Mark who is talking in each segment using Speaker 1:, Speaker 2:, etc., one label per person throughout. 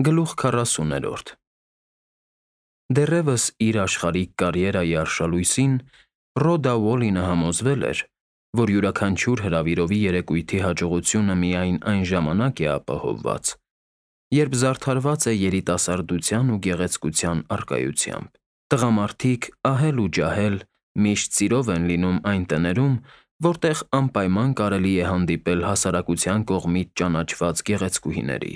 Speaker 1: Գլուխ 40-րդ Դեռևս իր աշխարհիկ կարիերայի արշալույսին Ռոդա Ուոլինը համոզվել էր, որ յուրաքանչյուր հրավիրովի երեկույթի հաջողությունը միայն այն ժամանակ է ապահովված, երբ զարդարված է երիտասարդության ու գեղեցկության առկայությամբ։ Տղամարդիկ ահել ու ջահել միշտ սիրով են լինում այն տներում, որտեղ անպայման կարելի է հանդիպել հասարակության կողմից ճանաչված գեղեցկուհիների։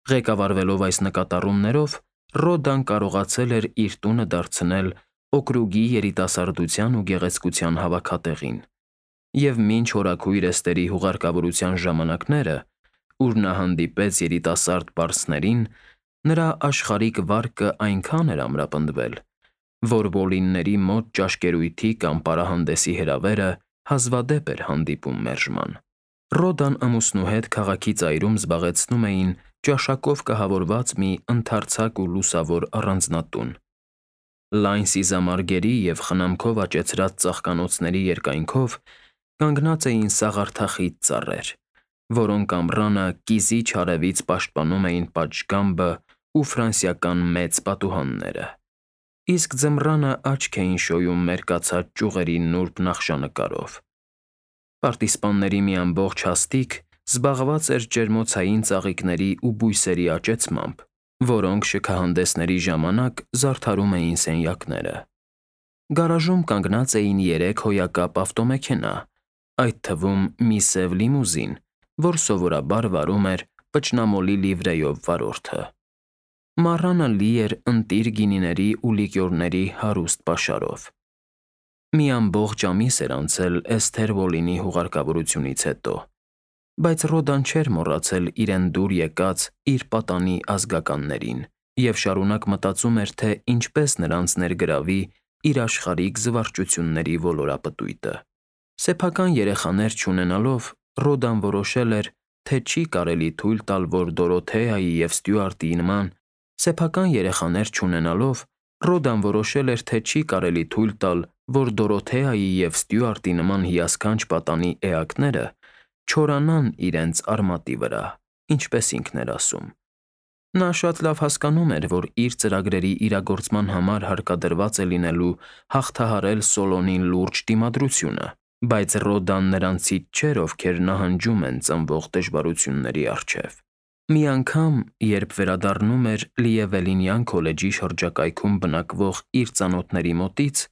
Speaker 1: Ղեկավարվելով այս նկատառումներով, Ռոդան կարողացել էր իր տունը դարձնել օկրուգի երիտասարդության ու գեղեցկության հավաքատեղին, և մինչ հորաքույր Էստերի հուղարկավորության ժամանակները, ուր նա հանդիպեց երիտասարդ պարսներին, նրա աշխարհիկ վարկը այնքան էր ամրապնդվել, որ Ուոլինների մոտ ճաշկերույթի կամ պարահանդեսի հրավերը հազվադեպ էր հանդիպում մերժման։ Ռոդան ամուսնու հետ քաղաքի ծայրում զբաղեցնում էին ճաշակով կահավորված մի ընդարձակ ու լուսավոր առանձնատուն։ Լայն սիզամարգերի և խնամքով աճեցրած ծաղկանոցների երկայնքով կանգնած էին սաղարթախիտ ծառեր, որոնք ամռանը կիզիչ արևից պաշտպանում էին պատշգամբը ու ֆրանսիական մեծ պատուհանները, իսկ ձմռանը աչք էին շոյում մերկացած ճյուղերի նուրբ նախշանկարով։ Պարտիզպանների մի ամբողջ հաստիք զբաղված էր ջերմոցային ծաղիկների ու բույսերի աճեցմամբ, որոնք շքահանդեսների ժամանակ զարդարում էին սենյակները։ Գարաժում կանգնած էին 3 հոյակապ ավտոմեքենա, այդ թվում մի սև լիմուզին, որ սովորաբար վարում էր պճնամոլի լիվրեյով վարորդը։ Մառանը լի էր ընտիր գինիների ու լիկյորների հարուստ պաշարով։ Մի ամբողջ ամիս էր անցել Էսթեր Ուոլինի հուղարկավորությունից հետո, բայց Ռոդան չէր մոռացել իրեն դուր եկած իր պատանի ազգականներին և շարունակ մտածում էր, թե ինչպես նրանց ներգրավի իր աշխարհիկ զվարճությունների ոլորապտույտը։ Սեփական երեխաներ չունենալով, Ռոդան որոշել էր, թե չի կարելի թույլ տալ, որ Դորոթեայի և Ստյուարտի նման հիասքանչ պատանի էակները չորանան իրենց արմատի վրա, ինչպես ինքն էր ասում։ Նա շատ լավ հասկանում էր, որ իր ծրագրերի իրագործման համար հարկադրված է լինելու հաղթահարել Սոլոնին լուրջ դիմադրությունը, բայց Ռոդան նրանցից չէր, ովքեր նահանջում են ծնվող դժվարությունների առջև։ Մի անգամ, երբ վերադառնում էր Լիևելինյան քոլեջի շրջակայքում բնակվող իր ծանոթների մոտից,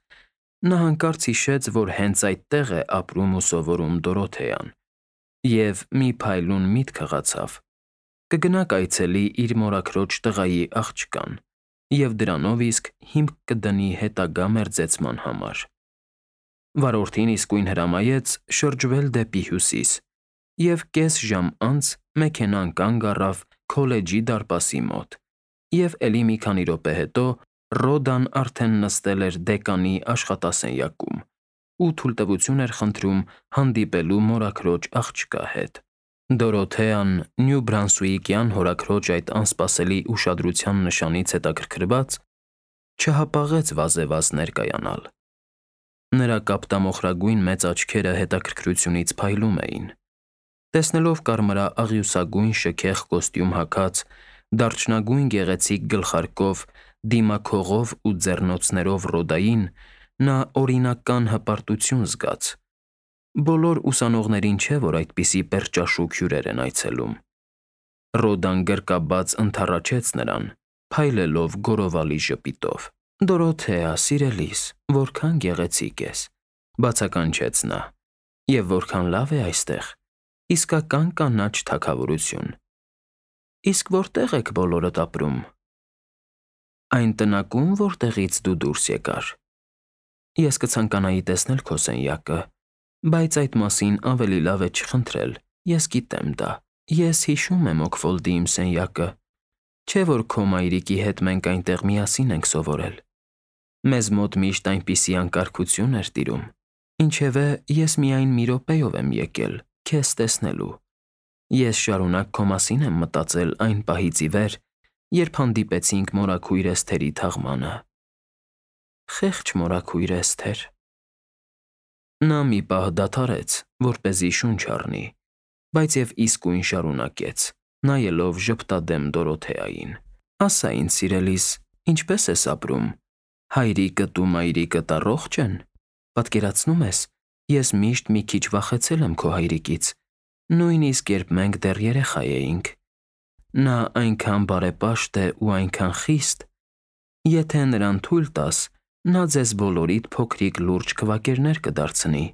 Speaker 1: նա հանկարծ հիշեց, որ հենց այդտեղ է ապրում ու սովորում Դորոթեան, և մի փայլուն միտք հղացավ. կգնա կայցելի իր մորաքրոջ տղայի աղջկան և դրանով իսկ հիմք կդնի հետագա մերձեցման համար։ Վարորդին իսկույն հրամայեց շրջվել դեպի հյուսիս, և կես ժամ անց մեքենան կանգ առավ քոլեջի դարպասի մոտ, և էլի մի քանի րոպե հետո Ռոդան արդեն նստել էր դեկանի աշխատասենյակում ու թույլտվություն էր խնդրում հանդիպելու մորաքրոջ աղջկա հետ։ Դորոթեան Նյու Բրանսուիկյան հորաքրոջ այդ անսպասելի ուշադրության նշանից հետաքրքրված, չհապաղեց վազեվազ ներկայանալ։ Նրա կապտամոխրագույն մեծ աչքերը հետաքրքրությունից փայլում էին։ Տեսնելով կարմրաաղյուսագույն շքեղ կոստյում հագած, դարչնագույն գեղեցիկ գլխարկով, դիմաքողով ու ձեռնոցներով Ռոդային, նա օրինական հպարտություն զգաց։ Բոլոր ուսանողներին չէ, որ այդպիսի պերճաշուք հյուրեր են այցելում։ Ռոդան գրկաբաց ընդառաջեց նրան, փայլելով գորովալի ժպիտով։ «Դորոթեա, սիրելիս, որքան գեղեցիկ ես», բացականչեց նա, «և որքան լավ է այստեղ, իսկական կանաչ թագավորություն։ Իսկ որտե՞ղ եք բոլորդ ապրում։ Այն տնակո՞ւմ, որտեղից դու դուրս եկար։ Ես կցանկանայի տեսնել քո սենյակը, բայց այդ մասին ավելի լավ է չխնդրել, ես գիտեմ դա։ Ես հիշում եմ Օքֆոլդի իմ սենյակը, չէ՞ որ քո մայրիկի հետ մենք այնտեղ միասին ենք սովորել։ Մեզ մոտ միշտ այնպիսի անկարգություն էր տիրում, ինչևէ ես միայն մի րոպեով եմ եկել քեզ տեսնելու։ Ես շարունակ քո մասին եմ մտածել այն պահից ի վեր, երբ հանդիպեցինք մորաքույր Էսթերի թաղմանը։ Խեղճ մորաքույր Էսթեր։ Նա մի պահ դադարեց, որպեսզի շունչ առնի, բայց և իսկույն շարունակեց. նայելով ժպտադեմ Դորոթեային։ Ասա ինձ, սիրելիս, ինչպես ես ապրում։ Հայրիկդ ու մայրիկդ առողջ են։ Պատկերացնում ես, ես միշտ մի քիչ վախեցել եմ քո հայրիկից, նույնիսկ երբ մենք դեռ երեխա էինք։ Նա այնքան բարեպաշտ է ու այնքան խիստ։ Եթե նրան թույլ տաս, նա ձեզ բոլորիդ փոքրիկ լուրջ քվակերներ կդարձնի։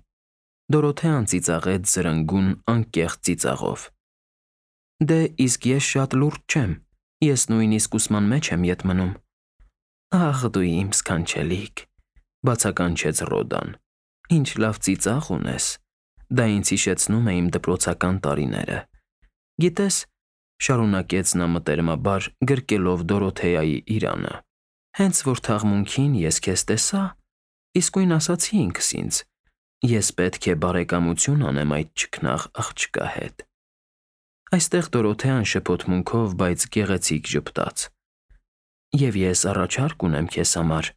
Speaker 1: Դորոթեան ծիծաղեց զրնգուն անկեղծ ծիծաղով։ Դե իսկ ես շատ լուրջ չեմ, ես նույնիսկ ուսման մեջ եմ ետ մնում։ Ախ դու իմ սքանչելիք, բացականչեց Ռոդան, ինչ լավ ծիծաղ ունես, դա ինձ հիշեցնում է իմ դպրոցական տարիները։ Գիտես, շարունակեց նա մտերմաբար գրկելով Դորոթեայի իրանը, հենց որ թաղմունքին ես քեզ տեսա, իսկույն ասացի ինքս ինձ, ես պետք է բարեկամություն անեմ այդ չքնաղ աղջկա հետ։ Այստեղ Դորոթեան շփոթմունքով, բայց գեղեցիկ ժպտաց։ Եվ ես առաջարկ ունեմ քեզ համար,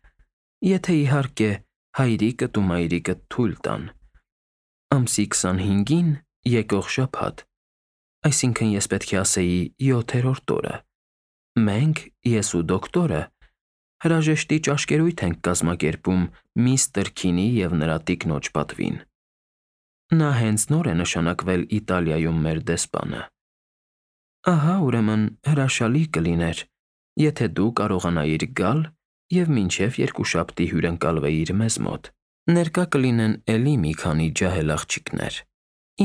Speaker 1: եթե իհարկե հայրիկդ ու մայրիկդ թույլ տան։ Ամսի 25-ին եկող շաբաթ, այսինքն ես պետք է ասեի 7-րդ օրը, մենք, ես ու դոկտորը, հրաժեշտի ճաշկերույթ ենք կազմակերպում միստր Քինի և նրա տիկնոջ պատվին։ Նա հենց նոր է նշանակվել Իտալիայում մեր դեսպանը։ Ահա, ուրեմն հրաշալի կլիներ, եթե դու կարողանայիր գալ և մինչև երկուշաբթի հյուրընկալվեիր մեզ մոտ։ Ներկա կլինեն էլի մի քանի ջահել աղջիկներ,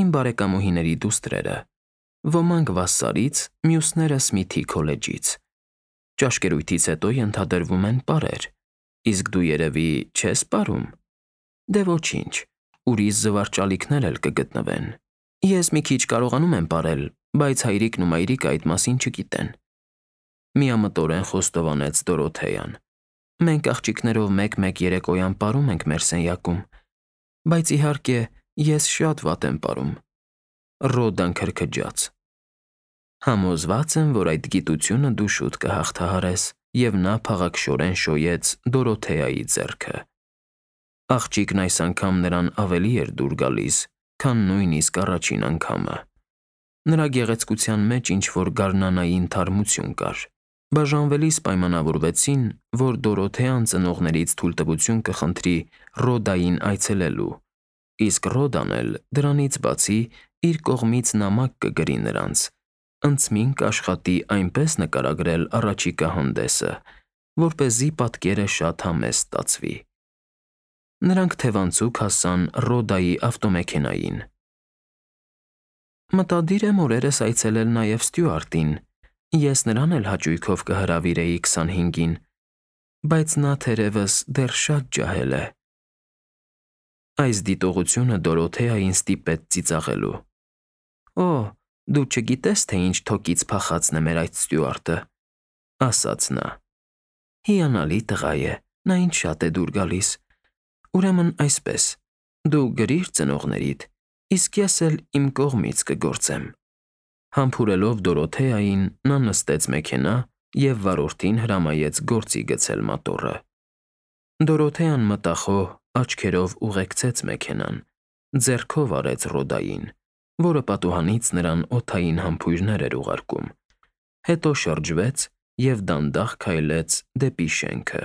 Speaker 1: իմ բարեկամուհիների դուստրերը, ոմանք Վասսարից, մյուսները Սմիթի քոլեջից։ Ճաշկերույթից հետո ենթադրվում են պարեր, իսկ դու երևի չես պարում։ Դե ոչինչ, ուրիշ զվարճալիքներ էլ կգտնվեն։ Ես մի քիչ կարողանում եմ պարել, բայց հայրիկն ու մայրիկը այդ մասին չգիտեն։ Միամտորեն խոստովանեց Դորոթեան։ Մենք աղջիկներով մեկ-մեկ երեկոյան պարում ենք մեր սենյակում, բայց իհարկե ես շատ վատ եմ պարում։ Ռոդան քրքջաց։ Համոզված եմ, որ այդ գիտությունը դու շուտ կհաղթահարես, և նա փաղաքշորեն շոյեց Դորոթեայի ձեռքը։ Աղջիկն այս անգամ նրան ավելի էր դուր գալիս, քան նույնիսկ առաջին անգամը։ Նրա գեղեցկության մեջ ինչ-որ գարնանային թարմություն կար։ Բաժանվելիս պայմանավորվեցին, որ Դորոթեան ծնողներից թույլտվություն կխնդրի Ռոդային այցելելու, իսկ Ռոդան էլ դրանից բացի իր կողմից նամակ կգրի նրանց, ընծմին կաշխատի այնպես նկարագրել առաջիկա հանդեսը, որպեսզի պատկերը շատ համեստ ստացվի։ Նրանք թևանցուկ հասան Ռոդայի ավտոմեքենային։ Մտադիր եմ օրերս այցելել նաև Ստյուարտին, ես նրան էլ հաճույքով կհրավիրեի 25-ին, բայց նա թերևս դեռ շատ ջահել է։ Այս դիտողությունը Դորոթեային ստիպեց ծիծաղելու։ Օ, դու չգիտես, թե ինչ թոկից փախածն է մեր այդ Ստյուարտը, ասաց նա։ Հիանալի տղա է, նա ինձ շատ է դուր գալիս։ Ուրեմն այսպես, դու գրիր ծնողներիդ, իսկ ես էլ իմ կողմից կգործեմ։ Համբուրելով Դորոթեային, նա նստեց մեքենա և վարորդին հրամայեց գործի գցել մոտորը։ Դորոթեան մտախոհ աչքերով ուղեկցեց մեքենան, ձեռքով արեց Ռոդային, որը պատուհանից նրան օդային համբույրներ էր ուղարկում, հետո շրջվեց և դանդաղ քայլեց դեպի շենքը։